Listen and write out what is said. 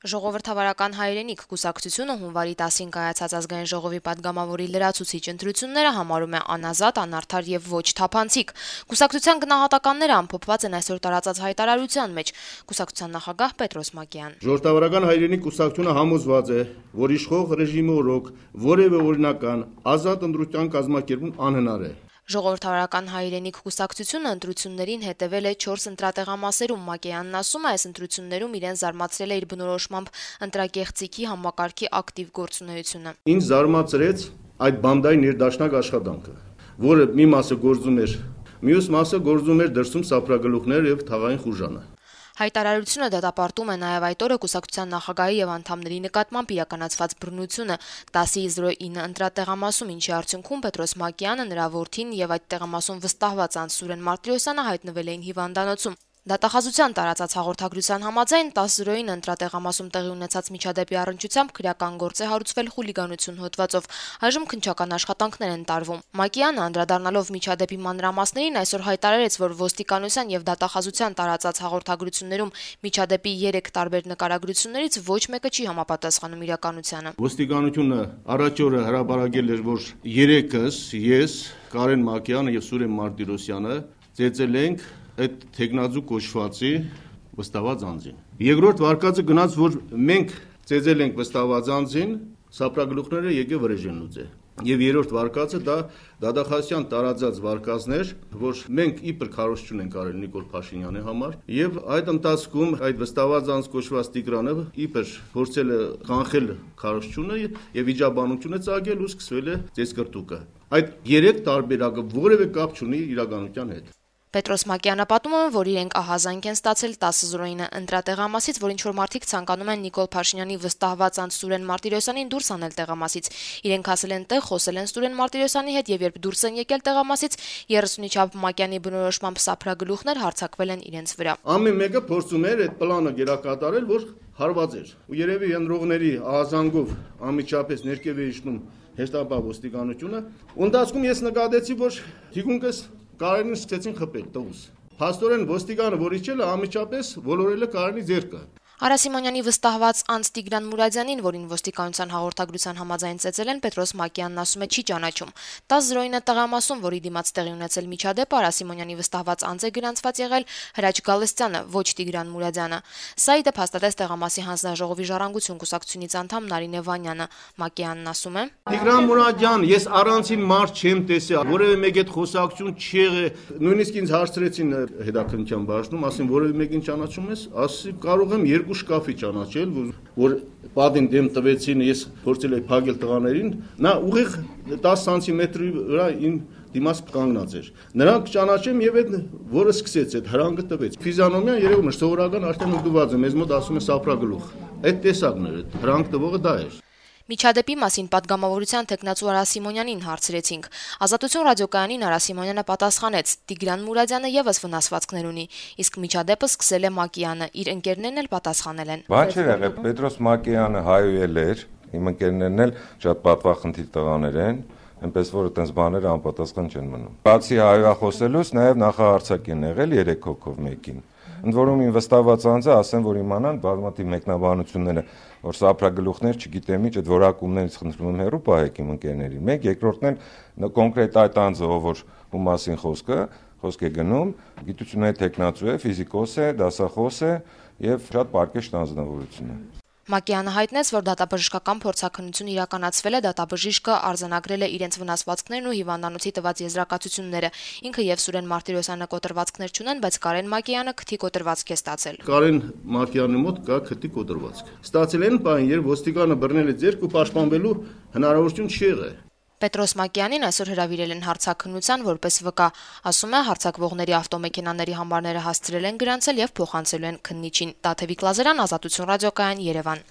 Ժողովրդավարական հայրենիք կուսակցությունը հունվարի 10-ին կայացած ազգային ժողովի պատգամավորի լրացուցիչ ընտրությունները համարում է անազատ, անարդար եւ ոչ թափանցիկ։ Կուսակցության գնահատականները ամփոփված են այսօր տարածած հայտարարության մեջ։ Կուսակցության նախագահ Պետրոս Մակեյան. Ժողովրդավարական հայրենիք կուսակցությունը համոզված է, որ իշխող ռեժիմի օրոք որևէ օրինական ազատ ընտրության կազմակերպում անհնար է։ Ժողովրդավարական հայրենիք կուսակցությունը ընտրություններին հետևել է 4 ընտրատեղամասերում։ Մակեյանն ասում է, այս ընտրություններում իրեն զարմացրել է իր բնորոշմամբ ընտրագեղձիկի համակարգի ակտիվ գործունեությունը։ Ինձ զարմացրեց այդ բանդայի ներդաշնակ աշխատանքը, որը մի մասը գործում էր, մյուս մասը գործում էր դրսում սափրագլուխներ եւ թաղային խուժանը։ Հայտարարությունը դատապարտում է նաև այդ օրը կուսակցության նախագահի եւ անդամների նկատմամբ իրականացված բռնությունը 10:09 ընտրատեղամասում, ինչի արդյունքում Պետրոս Մակեյանը, նրա որդին եւ այդ տեղամասում վստահված անձ Սուրեն Մարտիրոսյանը հայտնվել էին հիվանդանոցում։ Դատախազության տարածած հաղորդագրության համաձայն 10:09 ընտրատեղամասում տեղի ունեցած միջադեպի առնչությամբ քրեական գործ է հարուցվել խուլիգանություն հոդվածով։ Այժմ քննչական աշխատանքներ են տարվում։ Մակեյանը, անդրադառնալով միջադեպի մանրամասներին, այսօր հայտարարեց, որ ոստիկանության եւ դատախազության տարածած հաղորդագրություններում միջադեպի 3 տարբեր նկարագրություններից ոչ մեկը չի համապատասխանում իրականությանը։ Ոստիկանությունը առաջ օրը հրապարակել էր, որ 3-ս, ես, Կարեն Մակեյանը եւ Սուրեն Մարտիրոսյանը ծեծել ենք այդ թեկնածու կոչվածի վստահված անձին։ Երկրորդ վարկածը գնաց, որ մենք ծեծել ենք վստահված անձին, սափրագլուխները եկե վրեժեն լուծե։ Եվ երրորդ վարկածը դա դատախազության տարածած վարկածներ, որ մենք իբր քարոզություն ենք արել Նիկոլ Փաշինյանի համար, եւ այդ ընթացքում այդ վստահված անձ կոչված Տիգրանը իբր փորձել է կանխել քարոզությունը եւ վիճաբանությունը ծագել ու սկսվել է ծեծկրտուկը։ Այդ 3 տարբերակը որևէ կապ չունի իրականության հետ։ Պետրոս Մակեյանը պատմում է, որ իրենք ահազանգ են ստացել 10:09 ընտրատեղամասից, որ ինչ-որ մարդիկ ցանկանում են Նիկոլ Փաշինյանի վստահված անձ Սուրեն Մարտիրոսյանին դուրս անել տեղամասից։ Իրենք հասել են տեղ, խոսել են Սուրեն Մարտիրոսյանի հետ եւ երբ դուրս են եկել տեղամասից, 30-ի չափ Մակեյանի բնորոշմամբ սափրագլուխներ հարձակվել են իրենց վրա։ Ամեն մեկը փորձում էր այդ պլանը գերակատարել, որ հարված էր։ Ու երևի ենրողների ահազանգով անմիջապես ներքև է իջնում հեշտապահ ոստիկանությունը։ Ընթացքում ես նկատեցի, որ թիկունքս Կարենին սկսեցին խփել տղուս։ Փաստորեն ոստիկանը, որ իջել է, անմիջապես ոլորել է Կարենի ձեռքը։ Արա Սիմոնյանի վստահված անձ Տիգրան Մուրադյանին, որին ոստիկանության հաղորդագրության համաձայն ծեծել են, Պետրոս Մակեյանն ասում է չի ճանաչում։ 10:09 տեղամասում, որի դիմաց տեղի ունեցել միջադեպը, Արա Սիմոնյանի վստահված անձ է գրանցված եղել Հրաչ Գալստյանը, ոչ Տիգրան Մուրադյանը։ Սա ի դեպ հաստատեց տեղամասի հանձնաժողովի ժառանգություն կուսակցությունից անդամ Նարինե Վանյանը։ Մակեյանն ասում է. Տիգրան Մուրադյան, ես առանցին մարդ չեմ տեսել, որևէ մեկ այդ խոսակցություն չի եղել։ Նույնիսկ ինձ հարցրեցին հետաքննության բաժնում, ասին որևէ մեկին ճանաչում ես, ասի կարող եմ երկու շկաֆի ճանաչել, որ պատին դեմ տվեցին, ես փորձել եի փակել տղաներին, նա ուղիղ 10 սանտիմետրի վրա իմ դիմաց կանգնած էր։ Նրանք ճանաչեմ եւ այդ որը սկսեց այդ հրանքը տվեց։ Ֆիզիոնոմիան երևում է սովորական արդեն ուղղված է, մեզ մոտ ասում է սափրագլուխ։ Այդ տեսակն էր, հրանք տվողը դա էր։ Միջադեպի մասին պատգամավորության թեկնածու Արա Սիմոնյանին հարցրեցինք։ Ազատություն ռադիոկայանին Արա Սիմոնյանը պատասխանեց. Տիգրան Մուրադյանը եւս վնասվածքներ ունի, իսկ միջադեպը սկսել է Մակեյանը, իր ընկերներն էլ պատասխանել են։ Բան չէր եղել, Պետրոս Մակեյանը հայուել էր, իմ ընկերներն էլ շատ պատվախնդիր տղաներ են, այնպես որ այդպես բաները անպատասխան չեն մնում։ Բացի հայախոսելուց նաեւ նախահարցակ են եղել 3 հոգով մեկին։ Ընդ որում իմ վստահված անձը ասեն, որ իմանան բազմաթիվ մեկնաբանությունները, որ սափրագլուխներ չգիտեմ ինչ, այդ որակումներից խնդրում եմ հեռու պահեք իմ ընկերներին։ Մեկ երկրորդն էլ կոնկրետ այդ անձը, ով ում մասին խոսք է գնում, գիտությունների տեխնացու է, ֆիզիկոս է, դասախոս է եւ շատ պարկեշտ անձնավորություն է։ Մակեյանը հայտնեց, որ դատաբժշկական փորձաքննություն իրականացվել է, դատաբժիշկը արձանագրել է իրենց վնասվածքներն ու հիվանդանոցի տված եզրակացությունները։ Ինքը եւ Սուրեն Մարտիրոսյանը կոտրվածքներ չունեն, բայց Կարեն Մակեյանը քթի կոտրվածք է ստացել։ Կարեն Մակեյանի մոտ կա քթի կոտրվածք։ Ստացել են բան, երբ ոստիկանը բռնել է ձեռք ու պաշտպանվելու հնարավորություն չի եղել։ Պետրոս Մակեյանին այսօր հրավիրել են հարցաքննության որպես վկա։ Ասում է, հարցակվողների ավտոմեքենաների համարները հասցրել են գրանցել եւ փոխանցելու են քննիչին։ Տաթևիկ Լազարյան, Ազատություն ռադիոկայան, Երևան։